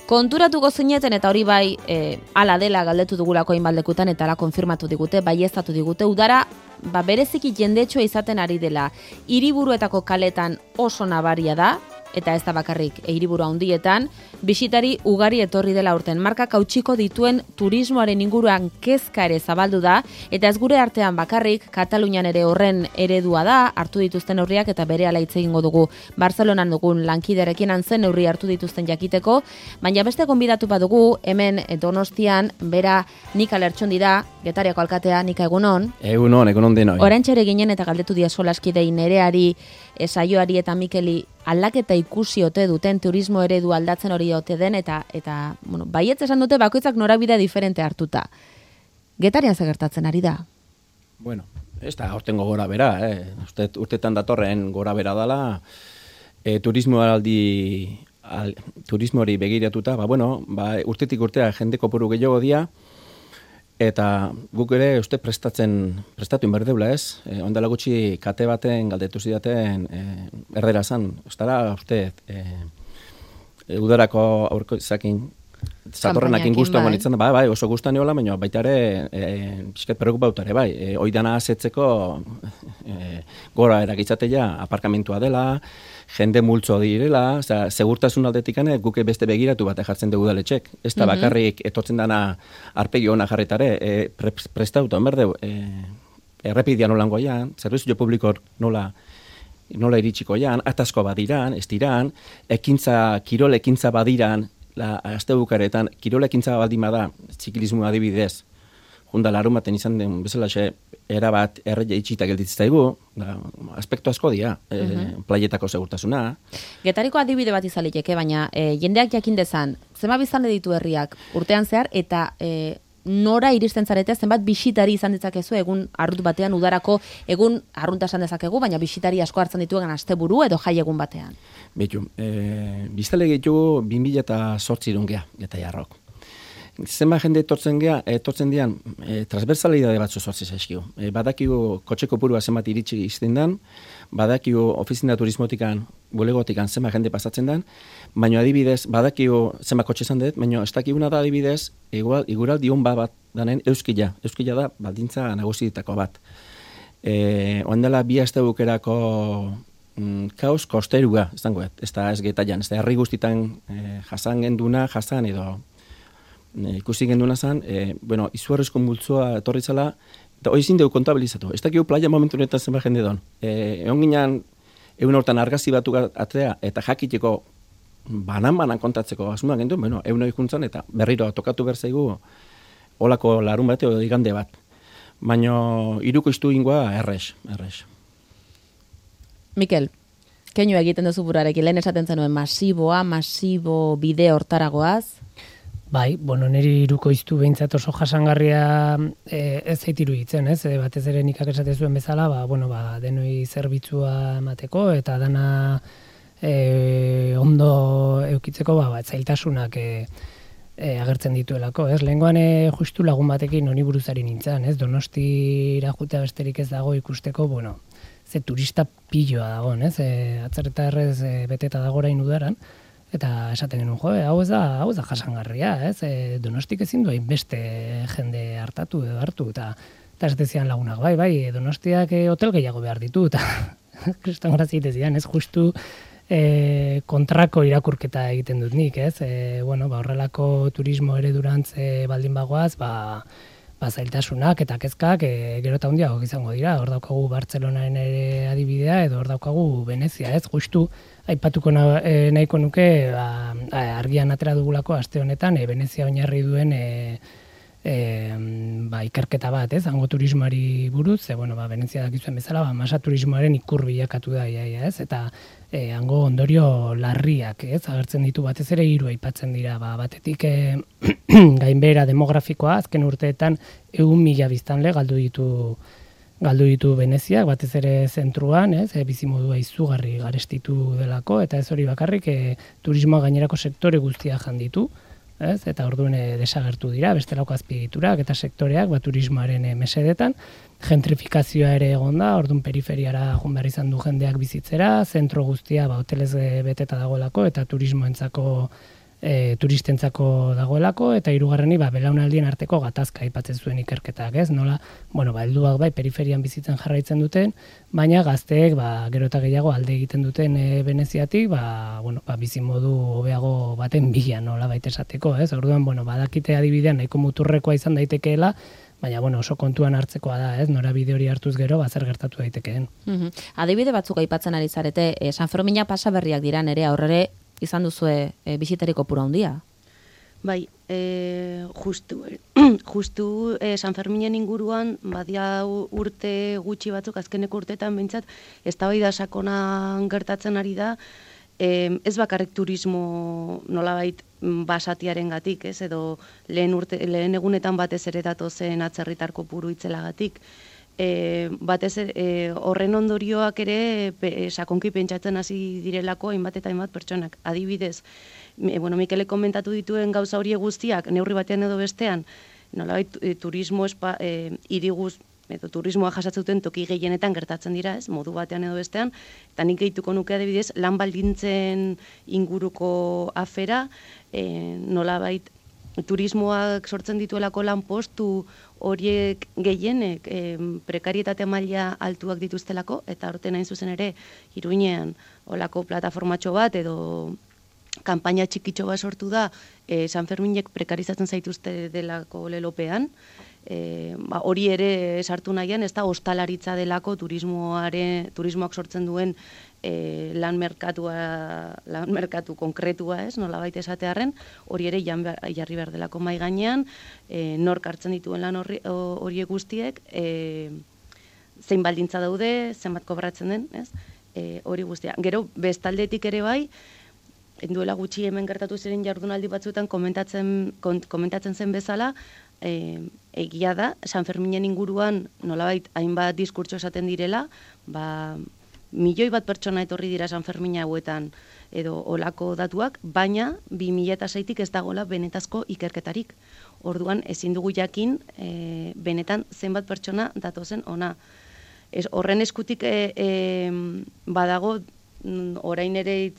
Konturatuko zineten eta hori bai ala dela galdetu dugulako hainbaldekutan eta ala konfirmatu digute, baieztatu digute, udara bereziki jendetsua izaten ari dela. Hiriburuetako kaletan oso nabaria da, eta ez da bakarrik hiriburu handietan, bisitari ugari etorri dela urten. Markak hautsiko dituen turismoaren inguruan kezka ere zabaldu da, eta ez gure artean bakarrik, Katalunian ere horren eredua da, hartu dituzten neurriak eta berehala hitz egingo dugu Barcelonan dugun lankiderekin zen neurri hartu dituzten jakiteko, baina beste gonbidatu badugu, hemen Donostian, bera Nika Lertxondi da, Getariako alkatea, Nika egunon. Egunon denoi. Oraintxe ginen eta galdetu dia solaskidei Nereari, Saioari eta Mikeli aldaketa ikusi ote duten turismo eredu aldatzen hori ote den eta bueno, baietz esan dute bakoitzak norabide diferente hartuta. Getarian zer gertatzen ari da? Bueno, ez da hortengo gora bera, urtetan datorren gora bera dela, turismo hori begiratuta, urtetik urtea jende kopuru gehiago dia, eta guk ere uste prestatu inberdeula ez. Ondela gutxi kate baten galdetu zidaten erdera zan. Ostara uste udarako aurko izakin zatorrenakin guztuan gonitzen da. Bai, oso guztuan eola, baina baita ere pixket preokupauta ere, bai. Oidana azetzeko gora erakitzatea aparkamentua dela, jende multzo direla, segurtasun aldetikane guke beste begiratu bat jartzen dugu udaletxek. Ez da bakarrik etortzen dana arpegi ona jarretare, prestauta, onberdeu, errepidean nolango aian, zerbizio publikor nola iritsiko aian, atazko badiran, ez diran, kirol ekintza badiran, azte bukaretan, kirol ekintza baldima da, zikilismo adibidez, junda larun baten izan den bezalaxe, erabat erreia itxita gelditzaigu, aspektu asko dira, playetako segurtasuna. Getariko adibide bat izaliteke, baina jendeak jakin dezan, zenbat biztanle ditu herriak urtean zehar, eta nora iristen zarete, zenbat bisitari izan ditzakezu egun arrunt batean, udarako egun arrunta esan dezakegu, baina bisitari asko hartzen dituegan asteburu edo jai egun batean. Betu, biztale gehiago 2008 gea, eta jarrok. Zenba jende etortzen dian, transversalidade batzu sortzi zaizkigu. Badakigu kotxeko purua zenbat iritsi izten dan, badakigu ofizina turismotikan, bulegotikan zenba jende pasatzen dan, baina adibidez, badakigu zenba kotxe izan dut, baina ez dakiguna da adibidez, igual dion bat danen euskila. Euskila da baldintza nagusitako bat. Oandela bi aste bukerako kaos kosterua, ez da ez getaian, ez da herri guztitan jasan genduna, jasan edo ikusi genduna zen, izugarrizko multzoa etorri zela, eta hori zin dugu kontabilizatu. Ez dakigu playa momentu honetan zenba jende don. Egon ginen, egun hortan argazi batu atzea, eta jakiteko banan kontatzeko asmoa gendu, egun hori juntzan, eta berriro tokatu berzaigu olako larun bat edo igande bat. Baina iruko iztu ingoa errex. Mikel, keinu egiten duzu burarekin, lehen esaten zenuen masibo bide hortaragoaz? Bai, niri iruko iztu behintzat oso jasangarria ez zaitiru hitzen, ez? Batez ere nikak esate zuen bezala, denoi zerbitzua emateko, eta dana ondo eukitzeko, zailtasunak agertzen dituelako, ez? Lehengoan justu lagun batekin honi buruzari nintzen, ez? Donostira jutea besterik ez dago ikusteko, ze turista piloa dagoen, ez? Atzerreta errez beteta dagorain udaran, eta esaten genuen, hau ez da jasangarria, ez? Donostik ezin du beste jende hartatu edo hartu, eta esatezian lagunak, bai, Donostiak hotel gehiago behar ditu, eta kriston grazia itezian, ez? Justu kontrako irakurketa egiten dut nik, ez? Horrelako turismo eredurantz baldin bagoaz, zailtasunak eta kezkak gero eta handiago izango dira. Hor daukagu Bartzelonaren ere adibidea, edo hor daukagu Venezia, ez? Justu aipatuko nahiko nuke argian atera dugulako aste honetan Venezia oinarri duen ikerketa bat, ez? Hango turismoari buruz, Venezia dakizuen bezala, masa turismoaren ikur bilakatu da, ez? Eta hango ondorio larriak, ez? Agertzen ditu batez ere 3 aipatzen dira, batetik gainbehera demografikoa, azken urteetan 100.000 biztanle galdu ditu Veneziak, batez ere zentruan, ez? Bizimodua izugarri garestitu delako, eta ez hori bakarrik turismoa gainerako sektore guztia jan ditu, ez? Eta orduan desagertu dira, bestelako azpiegiturak eta sektoreak turismoaren mesedetan, gentrifikazioa ere egon da, orduan periferiara joan behar izan du jendeak bizitzera, zentro guztia hotelez beteta dagoelako, eta turismoentzako turistentzako dagoelako, eta hirugarreni belaunaldien arteko gatazka aipatzen zuen ikerketak, ez? Nola, helduak bai periferian bizitzen jarraitzen duten, baina gazteek gero eta gehiago alde egiten duten Veneziatik, bizimodu hobeago baten bila, nola baita esateko, ez? Orduan, badakite adibidean nahiko muturrekoa izan daitekeela, baina oso kontuan hartzekoa da, ez? Norabide hori hartuz gero, zer gertatu daitekeen. Adibide batzuk aipatzen ari zarete, San Fermina pasaberriak dira nere aurrere izan duzue bisitari kopuru handia. Bai, justu San Ferminen inguruan, badia urte gutxi batzuk, azkeneko urteetan behintzat, eztabaida sakonan gertatzen ari da, ez bakarrik turismo nolabait basatiaren gatik, ez, edo lehen egunetan batez ere datozen atzerritar kopuru itzelagatik. Batez horren ondorioak ere sakonki pentsatzen hasi direlako hainbat eta hainbat pertsonak. Adibidez, Mikele komentatu dituen gauza hori guztiak, neurri batean edo bestean, nolabait turismo hiriguz edo turismoa jasatzen toki gehienetan gertatzen dira, ez, modu batean edo bestean, eta nik gehituko nuke adibidez, lan baldintzen inguruko afera, nolabait turismoak sortzen dituelako lan postu horiek gehienek prekarietate maila altuak dituztelako, eta horten hain zuzen ere Iruinean olako plataformatxo bat edo kanpaina txikitxo bat sortu da San Ferminek prekarizatzen zaituzte delako lelopean, hori ere sartu nahian, ez da ostalaritza delako turismoak sortzen duen lan merkatu konkretua, ez, nolabait esatearren, hori ere jarri behar delako mai gainean, nork hartzen dituen lan horiek guztiek, zein baldintza daude, zenbat kobratzen den, ez, hori guztia. Gero, bestaldetik ere bai, duela gutxi hemen gertatu ziren jardunaldi batzuetan komentatzen zen bezala, egia da, San Ferminen inguruan nolabait hainbat diskurtso esaten direla, milioi bat pertsona etorri dira San Fermina hauetan edo olako datuak, baina 2006tik ez dagoela benetazko ikerketarik. Orduan ezin dugu jakin benetan zenbat pertsona datozen ona. Horren eskutik badago orain ere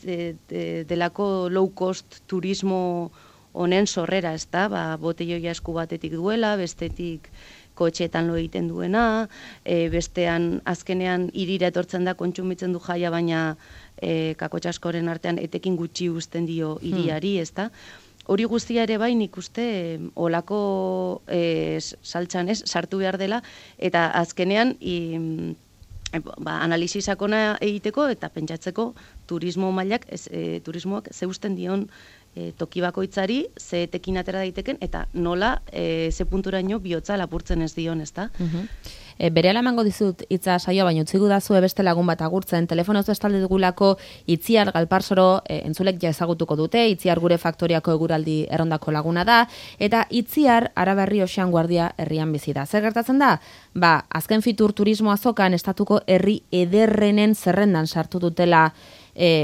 delako low cost turismo honen sorrera, ez da, botelloia esku batetik duela, bestetik kotxeetan lo egiten duena, bestean azkenean hirira etortzen da kontsumitzen du jaia, baina kakotxaskoren artean etekin gutxi uzten dio hiriari, ez da. Hori guztia ere bai nik uste olako saltxan sartu behar dela, eta azkenean analisi sakona egiteko eta pentsatzeko turismo mailak, turismoak zeusten dion toki bakoitzari, ze etekin atera daiteken, eta nola ze punturaino bihotza lapurtzen ez dion, ez da? Berehala emango dizut hitza saioa, baina utzi gudazu beste lagun bat agurtzen, telefonoz bestalde dugulako Itziar Galparsoro entzulek ja ezagutuko dute, Itziar gure faktoriako eguraldi errondako laguna da, eta Itziar Araberri Oxean Guardia herrian bizi da. Zer gertatzen da? Azken Fitur turismo azokan estatuko herri ederrenen zerrendan sartu dutela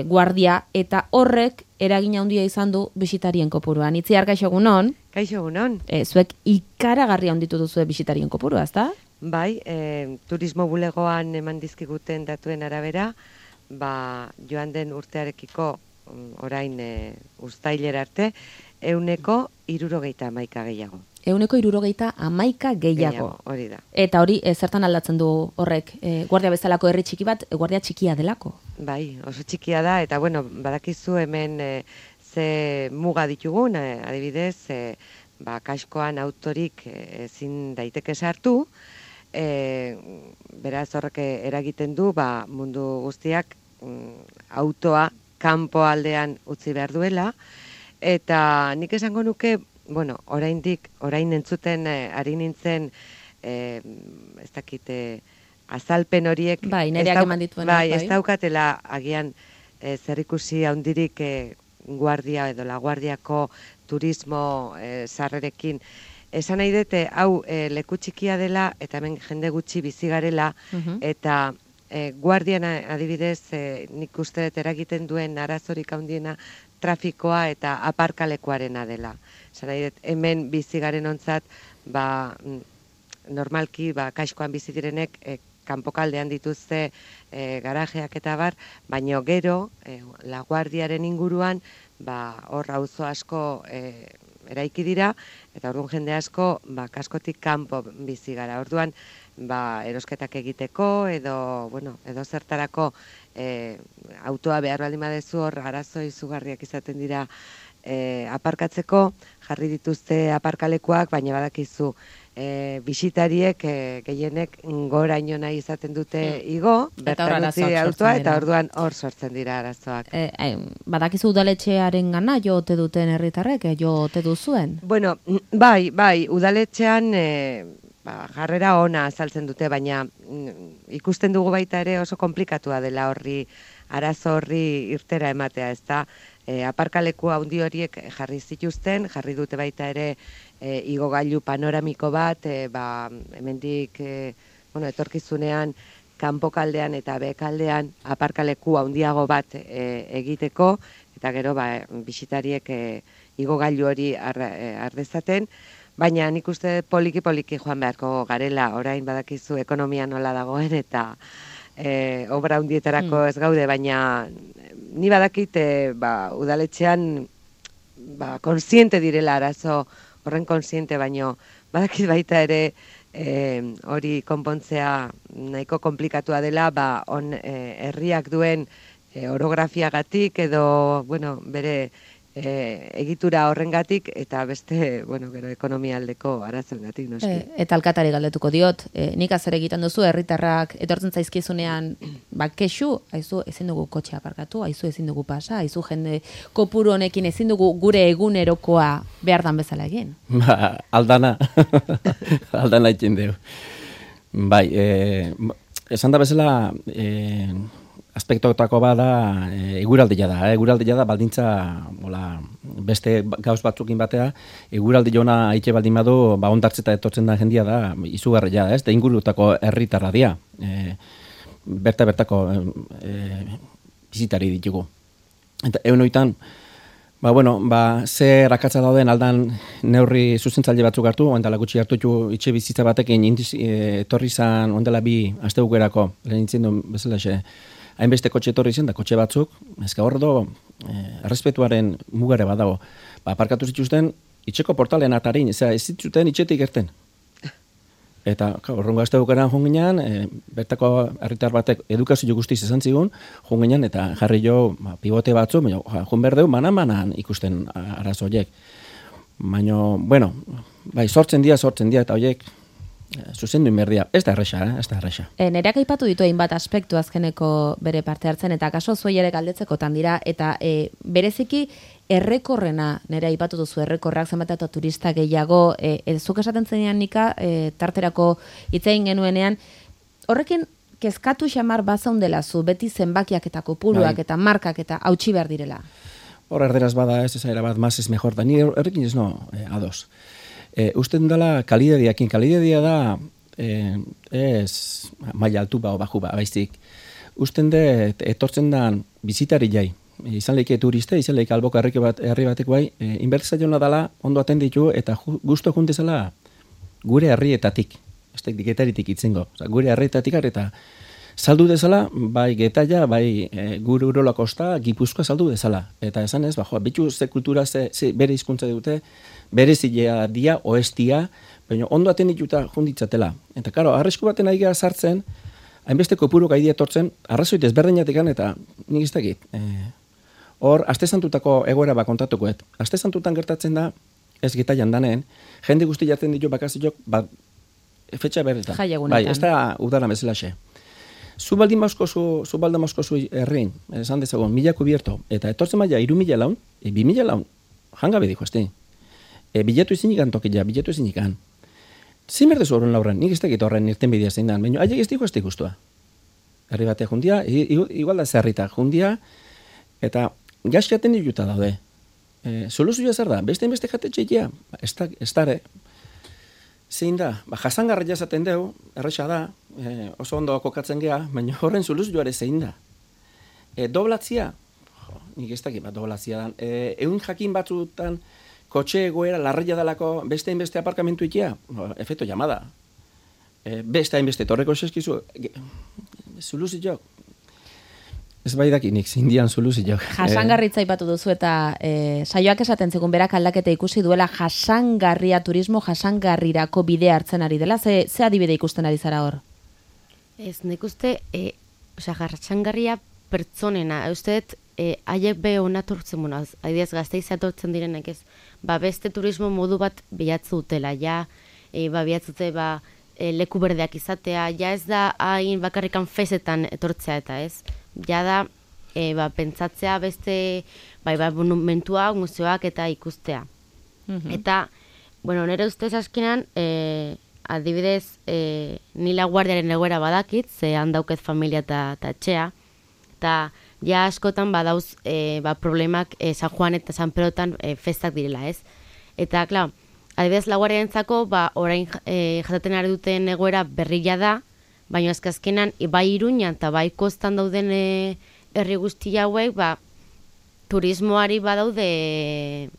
guardia, eta horrek eragina handia izan du bisitarien kopuruan. Itziar, kaixo egunon? Kaixo egunon. Zuek ikaragarri handitu duzue bisitarien kopurua, ezta? Bai, turismo bulegoan eman dizkiguten datuen arabera, joan den urtearekiko orain uztailera arte, 171 gehiago. 171 gehiago. Hori da. Eta hori zertan aldatzen du horrek? Guardia bezalako herri txiki bat, guardia txikia delako? Bai, oso txikia da, eta badakizu hemen ze muga ditugun, adibidez, kaskoan autorik ezin daiteke sartu, beraz horrek eragiten du, mundu guztiak autoa kanpo aldean utzi behar duela, eta nik esango nuke, orain entzuten ari nintzen, ez dakite, azalpen horiek, nereak eman dituen. Ez daukatela agian zerikusi handirik guardia edo laguardiako turismo sarrerekin. Esan nahi dute, hau leku txikia dela, eta hemen jende gutxi bizi garela, eta guardian adibidez, nik uste dut eragiten duen arazorik handiena trafikoa eta aparkalekuarena dela. Esan nahi dut, hemen bizi garen ontzat, normalki, kaskoan bizi direnek, kanpokaldean dituzte garajeak eta bar, baino gero, laguardiaren inguruan, hor auzo asko eraiki dira, eta orduan jende asko kaskotik kanpo bizi gara. Orduan erosketak egiteko edo zertarako autoa behar baldin badezu hor arazo izugarriak izaten dira aparkatzeko, jarri dituzte aparkalekuak, baina badakizu bisitariek gehienek goraino nahi izaten dute igo, bertan utzi autoa, eta orduan hor sortzen dira arazoak. Badakizu udaletxearen gana jo ote duten herritarrek, jo ote duzuen? Bueno, bai, udaletxean jarrera ona azaltzen dute, baina ikusten dugu baita ere oso komplikatua dela arazo horri irtera ematea, ezta? Aparkaleku handi horiek jarri zituzten, jarri dute baita ere igogailu panoramiko bat, hemendik etorkizunean kanpokaldean eta behekaldean aparkaleku handiago bat egiteko, eta gero bisitariek igogailu hori ardezaten, baina nik uste poliki joan beharko garela, orain badakizu ekonomia nola dagoen eta obra handietarako ez gaude, baina ni badakit udaletxean konsiente direla arazo horren konsiente, baino badakit baita ere hori konpontzea nahiko komplikatua dela, herriak duen orografiagatik edo bere egitura horrengatik eta beste, gero ekonomia aldeko arazoengatik, noski. Eta alkatari galdetuko diot, nik zer egiten duzu, herritarrak etortzen zaizkizunean, kexu, aizu ezin dugu kotxea aparkatu, aizu ezin dugu pasa, aizu jende kopuru honekin ezin dugu gure egunerokoa behar dan bezala egin. Aldana egin dugu. Bai, esan da bezala, aspektotako bada eguraldia da. Eguraldia da baldintza beste gauz batzukin batea, eguraldi ona aitxe baldin badu, ondartzeta etortzen da jendia da, izugarria, ez? Da ingurutako herritarra dira. Bertako bizitari ditugu. Eta egun zer akatsa dauden aldan neurri zuzentzaile batzuk hartu, ondela gutxi hartu itxe bizitza batekin etorri zan ondela 2 astebukerako, lehenintzen duen bezala hainbeste kotxe etorri zen, da kotxe batzuk, ezka horredo, errespetuaren mugare badago. Aparkatu zituzten, itxeko portalen atarin, ez zituzten itxetik erten. Eta, horrengo azte bukaran jonginan, bertako herritar batek edukazio guztiz esan zigun, jonginan, eta jarri jo pivote batzu, jon berdeu, manan ikusten arazoiek. Baina, sortzen dira, eta horiek, zuzendu inberdia, ez da erresa. Nereak aipatu ditu hainbat aspektu azkeneko bere parte hartzen, eta kaso zuei ere galdetzekotan dira, eta bereziki errekorrena, nere aipatu duzu errekorrak zenbat eta turista gehiago, zuk esaten zenean nika, tarterako hitzein genuenean, horrekin kezkatu xamar bazaundela zu, beti zenbakiak eta kopuruak eta markak eta hautsi behar direla. Hor erderaz bada ez erabat, más es mejor, da ni horrekin ez ados. Usten dela kalidadia da ez maila altu o baju baizik. Usten de etortzen da bizitari jai. Izan leike turiste, izan leike alboka herri batek bai, inbertzaiona dela ondo atenditu eta gusto juntezala gure herrietatik, ez da Getaritik itzengo, gure herrietatik eta saldu dezala, bai Getaia, bai gure Urola Kosta, Gipuzkoa saldu dezala. Eta esan ez, bitu ze kultura, ze bere hizkuntza dute, bere zilea dia, oestia, baina ondo atendituta junditzatela. Eta karo, arrisku baten ari gara sartzen, hainbeste kopuru gaidi etortzen, arrazoit ezberdinetik eta nik ez dakit. Hor, aste santutako egoera kontatukoet. Aste santutan gertatzen da, ez Getaian danen, jende guzti jartzen ditu bakaziok, fetxa berretan. Bai, ez da udara bezalaxe. Zu baldin mauzkozu herrein, esan dezagon, 1000 kubierto, eta etortzen maia 3000 laun, 2000 laun, jangabe dijo, este. Bilatu ezinikan tokila, bilatu ezinikan. Zin berdezu horren lauren, nik ez dakit horren irten bidea zein dan, baina haiek ez diku ez dikustua. Herri batea jundia, igual da zerrita jundia, eta gaskiaten dituta daude. Soluzioa zer da, beste jate txekia, ez dare. Zein da, jasangarra jazaten deu, erresa da, oso ondo kokatzen gea, baina horren soluzioare zein da. Doblatzia, nik ez dakit bat doblatzia dan, egun jakin batzutan, kotxe egoera larria dalako beste aparkamentu ikia, efecto llamada. Beste hainbeste torreko eskizu, soluzioak. Ez bai dakinik, zindian soluzioak. Jasangarritza aipatu duzu eta saioak esaten zegoen berak aldaketa ikusi duela jasangarria turismo jasangarrirako bidea hartzen ari dela. Ze adibide ikusten ari zara hor? Ez, nik uste, jasangarria pertsonena, usteet, haiek be onatortzen muna, adibidez Gasteiz atortzen direnek ez, beste turismo modu bat bilatzu dutela, bilatzute, leku berdeak izatea, ez da hain bakarrikan fezetan etortzea eta ez, da, pentsatzea beste, monumentuak, museoak eta ikustea. Eta, nire ustez askinan, adibidez, nila guardiaren egoera badakit, ze handauket familia eta etxea, eta askotan badauz problemak San Juan eta San Perotan festak direla, ez? Eta, klar, adibidez, laguardiarentzako, orain jasaten ari duten egoera berria da, baina azkenan, bai Iruñan eta bai kostan dauden herri guzti hauek, turismoari badaude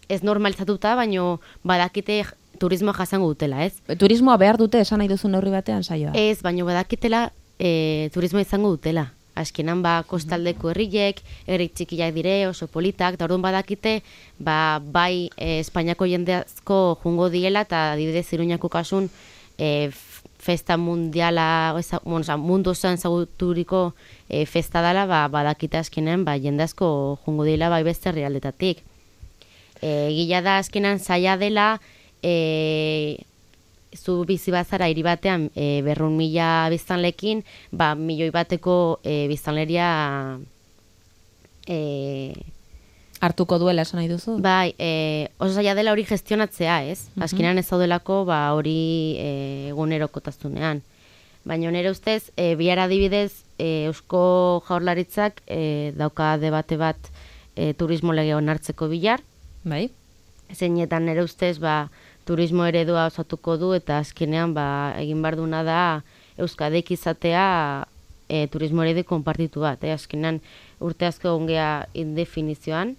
ez normalizatuta, baina badakite turismoa jasango dutela, ez? Turismoa behar dute esan nahi duzu neurri batean saioa? Ez, baina badakitela turismoa izango dutela. Azkenan kostaldeko herriek, herri txikiak dire, oso politak, eta orduan badakite, bai Espainiako jendeazko jungo diela, eta adibidez Iruñako kasun festa mundiala, mundu osoan zaguturiko festa dela, badakite azkenan jendeazko jungo diela, bai beste herrialdetatik. Gila da azkenan zaila dela, zu bizi bazara hiri batean 200.000 biztanlekin, 1.000.000 bateko biztanleria hartuko duela esan nahi duzu? Bai, oso zaila dela hori gestionatzea, ez? Azkenean ez daudelako hori egunerokotasunean. Baina nire ustez, bihar adibidez, Eusko Jaurlaritzak dauka debate bat turismo lege onartzeko bihar. Bai. Zeinetan nire ustez, turismo eredua osatuko du eta azkenean egin behar duna da Euskadek izatea turismo eredu konpartitu bat. Azkenean urte asko ongea indefinizioan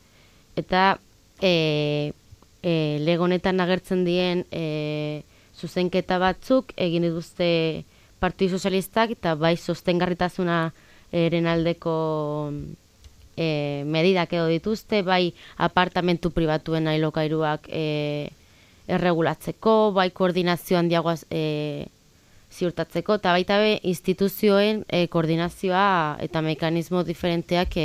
eta lege honetan agertzen dien zuzenketa batzuk egin dituzte Partidu Sozialistak eta bai sostengarritasuna eren aldeko medidak edo dituzte, bai apartamentu pribatuen ailokairuak erregulatzeko, bai koordinazio handiagoaz ziurtatzeko, eta baita instituzioen koordinazioa eta mekanismo diferenteak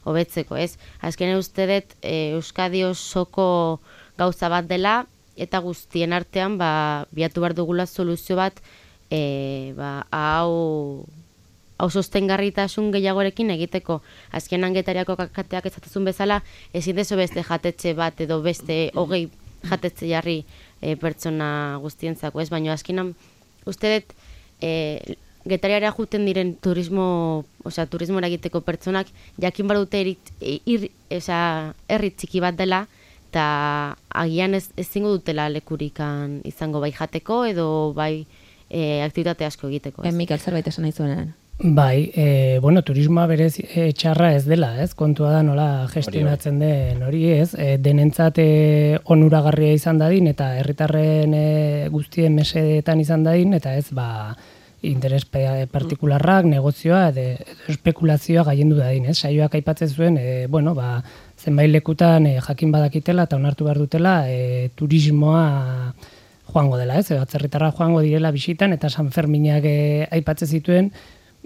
hobetzeko, ez? Azkenean uste dut Euskadi osoko gauza bat dela, eta guztien artean biatu behar dugula soluzio bat hau sostengarritasun gehiagorekin egiteko. Azkenan Getariako kateak ezatezun bezala, ezin dezo beste jatetxe bat edo beste 20 jatetze jarri pertsona guztientzako, ez? Baina azkenan uste dut Getariara juten diren turismora egiteko pertsonak jakin bar dute herri txiki bat dela eta agian ezingo dutela lekurikan izango bai jateko edo bai aktibitate asko egiteko. Mikel, zerbait esan nahi zuenean. Bai, turismoa berez txarra ez dela, ez? Kontua da nola gestionatzen den hori, ez? Denentzat onuragarria izan dadin eta herritarren guztien mesedetan izan dadin eta ez interes partikularrak, negozioa edo espekulazioa gaiendu dadin, ez? Saioak aipatzen zuen, zenbait lekutan jakin badakitela eta onartu behar dutela turismoa joango dela, ez? Atzerritarra joango direla bisitan eta San Ferminak aipatzen zituen,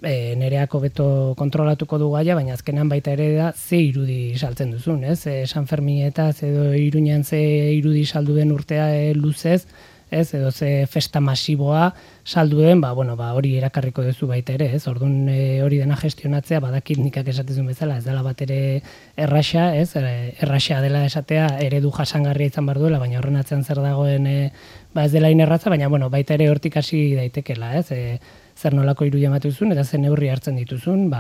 nereako beto kontrolatuko du gaia, baina azkenan baita ere da ze irudi saltzen duzun, ez? San Ferminetaz edo Iruñan ze irudi saldu den urtea luzez, ez? Edo ze festa masiboa saldu den, hori erakarriko duzu baita ere, ez? Orduan hori dena gestionatzea, badakit nikak esatezun bezala, ez dela bat ere erraxa, ez? Erraxa dela esatea eredu jasangarria izan behar duela, baina horren atzean zer dagoen ez dela inerratza, baina baita ere hortik hasi daitekela, ez? Zer nolako irudia ematen duzun eta zer neurri hartzen dituzun,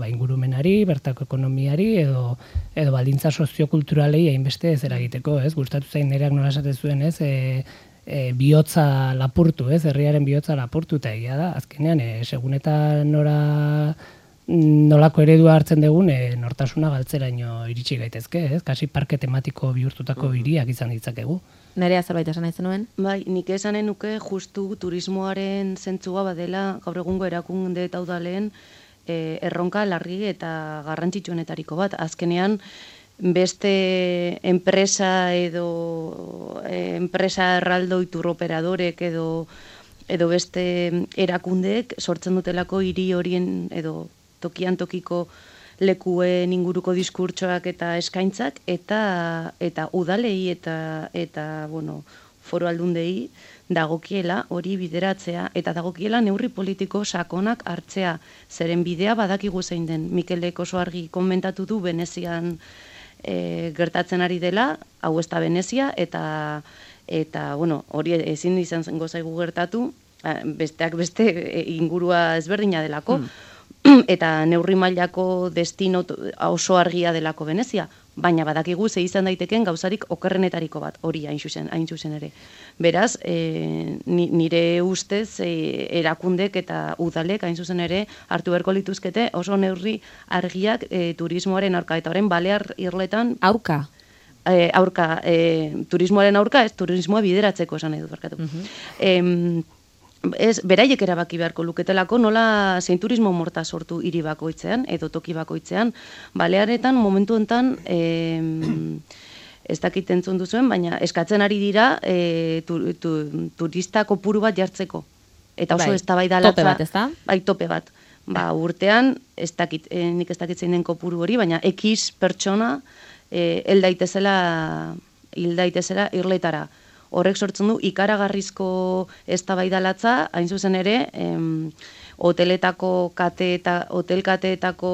ingurumenari, bertako ekonomiari edo baldintza soziokulturalei hainbeste ez eragiteko, ez? Gustatu zain nereak nola esaten zuen, ez? Bihotza lapurtu, ez? Herriaren bihotza lapurtu eta egia da, azkenean, segun eta nolako eredua hartzen dugun, nortasuna galtzeraino iritsi gaitezke, ez? Kasi parke tematiko bihurtutako hiriak izan ditzakegu. Nerea zerbait esan nahi zenuen? Bai, nik esanen nuke justu turismoaren zentzua badela gaur egungo erakunde eta udaleen erronka larri eta garrantzitsuenetariko bat. Azkenean, beste enpresa edo enpresa erraldoi turoperadorek edo beste erakundeek sortzen dutelako hiri horien edo tokian tokiko lekuen inguruko diskurtsoak eta eskaintzak eta udalei eta bueno, foru aldundei dagokiela hori bideratzea eta dagokiela neurri politiko sakonak hartzea. Zeren bidea badakigu zein den. Mikelek oso argi komentatu du Venezian gertatzen ari dela, hau ez da Venezia, eta bueno, hori ezin izan zengo zaigu gertatu, besteak beste ingurua ezberdina delako, eta neurri mailako destino oso argia delako Venezia, baina badakigu ze izan daiteken gauzarik okerrenetariko bat, hori hain zuzen ere. Beraz, nire ustez erakundek eta udalek hain zuzen ere hartu beharko lituzkete oso neurri argiak turismoaren aurka, eta orain Balear Irletan aurka? Aurka, turismoaren aurka, ez turismoa bideratzeko esan nahi dut barkatu. Beraiek erabaki beharko luketelako nola zein turismo morta sortu hiri bakoitzean edo toki bakoitzean. Balearetan momentu hontan ez dakit entzun duzuen, baina eskatzen ari dira turista kopuru bat jartzeko. Eta oso eztabaida latza. Tope bat, ezta? Bai, tope bat. Urtean, nik ez dakit zein den kopuru hori, baina X pertsona hil daitezela Irletara. Horrek sortzen du ikaragarrizko eztabaida latza, hain zuzen ere, hotelkateetako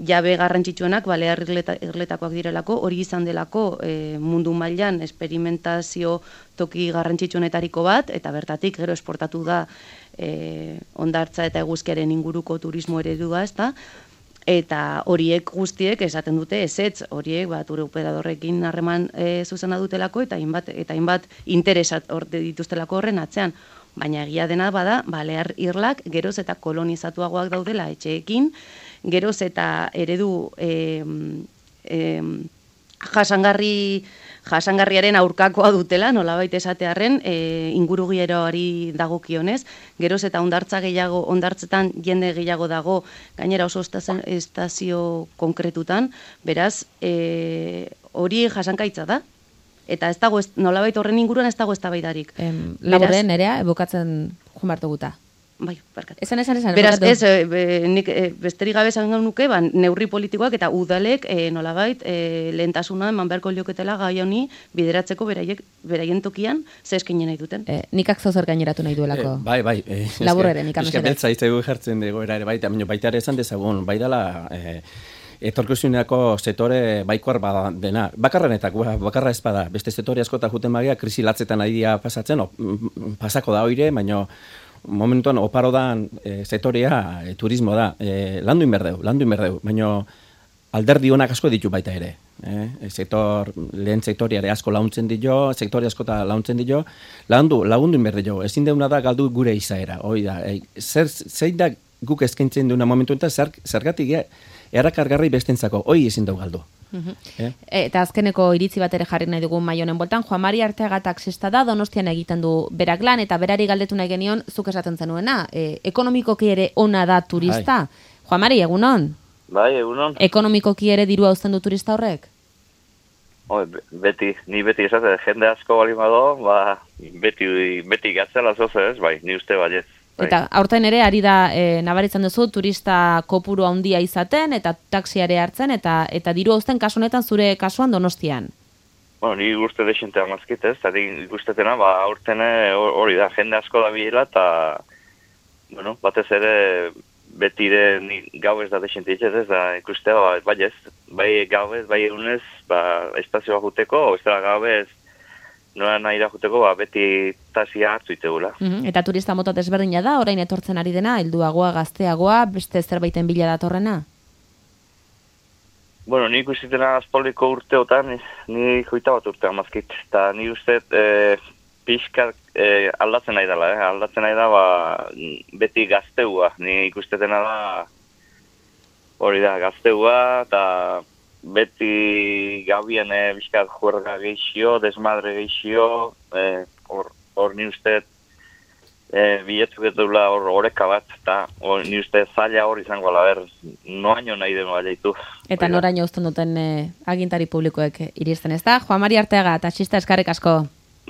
jabe garrantzitsuenak, Balear Irletakoak direlako, hori izan delako mundu mailan esperimentazio toki garrantzitsuenetariko bat, eta bertatik gero esportatu da hondartza eta eguzkiaren inguruko turismo eredua, ezta? Eta horiek guztiek esaten dute ezetz, horiek turoperadorrekin harreman zuzena dutelako eta hainbat interesat dituztelako horren atzean. Baina egia dena bada, Balear Irlak geroz eta kolonizatuagoak daudela etxeekin, geroz eta eredu jasangarriaren aurkakoa dutela, nolabait esatearren, ingurugiroari dagokionez, geroz eta hondartzetan jende gehiago dago, gainera oso estazio konkretutan, beraz, hori jasankaitza da. Eta ez dago, nolabait horren inguruan ez dago eztabaidarik. Laburren, Nerea, ebukatzen joan behartu guta. Bai, barkatu. Esan. Beraz, nik besterik gabe esan nuke, neurri politikoak eta udalek nolabait lehentasuna eman beharko lioketela gai honi bideratzeko beraien tokian ze eskaini nahi duten. Nikak zozer gaineratu nahi duelako. Bai. Laburreren, nik amesera. Beltza iztegu jartzen dugu era ere baita ere esan dezagun, bai dela etorkizunerako setore baikoar bada dena. Bakarra ez bada. Beste setore askota juten bagia, krisi latzetan ari dira pasatzen, pasako da oire, baina momentuan oparo da setorea turismo da. Landu inberdeu, baina alderdi honak asko ditu baita ere. Lehen sektoriare asko launtzen dio, sektore askota launtzen dio, lagundu inberdeu. Ezin deuna da galdu gure izaera. Hoi da, zein da guk eskaintzen duena momentu eta zergatik erakargarri bestentzako, hoi ezin dugu galdu. Eta azkeneko iritzi bat ere jarri nahi dugu mai honen boltan, Juan Mari Arteaga taxista da, Donostian egiten du berak lan, eta berari galdetu nahi genion, zuk esaten zenuena, ekonomikoki ere ona da turista. Juan Mari, egunon? Bai, egunon. Ekonomikoki ere dirua uzten du turista horrek? Ni beti esate, jende asko bali mado, beti gatzela zoze ez, bai, ni uste baiez. Eta aurten ere ari da nabaritzen duzu turista kopuru handia izaten eta taxiare hartzen eta diru uzten kasu honetan zure kasuan Donostian. Bueno, ni guste desente amazkit ez, eta ikustetena, aurten hori da, jende asko da biela eta, bueno, batez ere betire ni gauez da desente ez da ikustea, bai gauez, bai egunez, espazioa juteko, ez da gauez, nola nahi da juteko, beti tasia hartu itegula. Eta turista mota desberdina da, orain etortzen ari dena, helduagoa, gazteagoa, beste zerbaiten bila datorrena? Bueno, ni ikusitena azpoliko urteotan, ni joita bat urte amazkit, eta ni uste pixka aldatzen nahi dela, aldatzen nahi da, beti gazteua, ni ikustetena da, hori da, gazteua, eta beti gauien bizkat juerga geixio, desmadre geixio, hor ni uste biletzuk ez dula horreka bat, eta ni uste zaila hor izango ala, noaino nahi deno baliatu. Eta noraino uzten duten agintari publikoek iristen, ez da? Juan Mari Arteaga, taxista, eskerrik asko.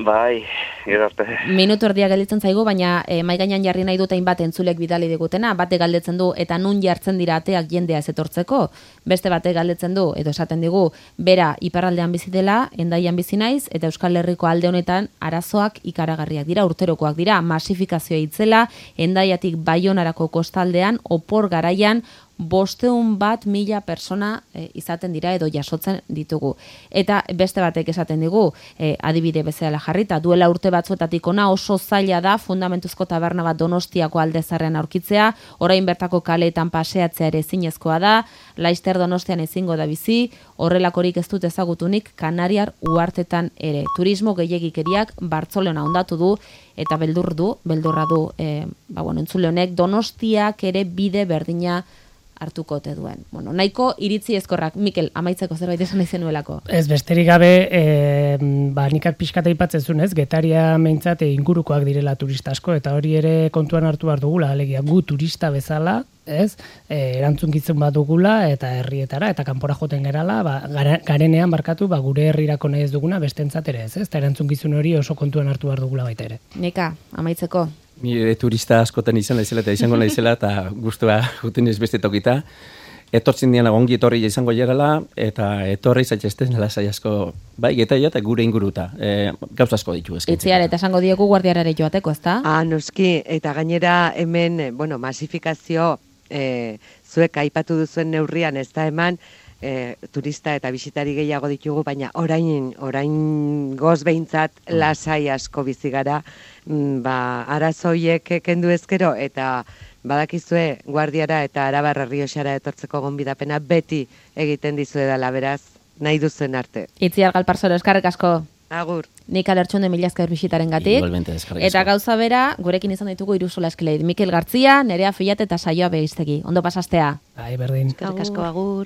Bai, gerarte. Minutu erdia gelditzen zaigu, baina mai gainean jarri nahi dut hainbat entzulek bidali digutena, bate galdetzen du eta nun jartzen dira ateak jendea ez etortzeko, beste bate galdetzen du edo esaten digu bera iparraldean bizi dela, Hendaian bizi naiz eta Euskal Herriko alde honetan arazoak ikaragarriak dira, urterokoak dira, masifikazioa itzela, Hendaiatik Baionarako kostaldean opor garaian 500.000 persona izaten dira edo jasotzen ditugu. Eta beste batek esaten digu, adibide bezala jarrita, duela urte batzuetatik ona oso zaila da fundamentuzko taberna bat Donostiako Aldezarrean aurkitzea, orain bertako kaleetan paseatzea ere ezinezkoa da, Laister Donostian ezingo da bizi, horrelakorik ez dut ezagutunik Kanariar uhartetan ere. Turismo gehiegikeriak Bartzelona hondatu du eta beldurra du entzule honek Donostiak ere bide berdina hartuko ote duen. Bueno, nahiko iritzi ezkorrak. Mikel, amaitzeko zerbait esan nahi zenuelako. Ez, besterik gabe, nikak pixkata aipatzen zuen, ez, Getaria meintzat ingurukoak direla turista asko, eta hori ere kontuan hartu behar dugula, alegia gu turista bezala, ez, erantzunkizun bat dugula, eta herrietara, eta kanpora joten gerala, garenean barkatu, gure herrirako nahi ez duguna, bestentzat ere ez, eta erantzunkizun hori oso kontuan hartu behar dugula baita ere. Nika, amaitzeko. Ni turista askotan izan naizela eta izango naizela eta gustua juten ez beste tokita. Etortzen dian ongi etorri izango jarala eta etorri zaitezten lasai asko bai Getaria eta gure inguruta. Gauza asko ditu eskaintzen. Itziar eta esango diegu guardiarare joateko, ezta? Noski, eta gainera hemen, masifikazio zuek aipatu duzuen neurrian ez da eman, turista eta bisitari gehiago ditugu, baina orain goz behintzat lasai asko bizi gara, arazoiek kendu ezkero, eta badakizue Guardiara eta Arabar Errioxara etortzeko gonbidapena beti egiten dizuedala, beraz, nahi duzuen arte. Itziar Galparzoro, eskerrik asko. Agur. Nik alertxonde mila esker bisitaren gatik. Igualmente, eskerrik asko. Eta gauza bera, gurekin izan ditugu hiru eskeleid. Mikel Gartzia, Nerea Fillat eta Saioa Begiztegi. Ondo pasastea. Bai, berdin. Eskerrik asko, agur.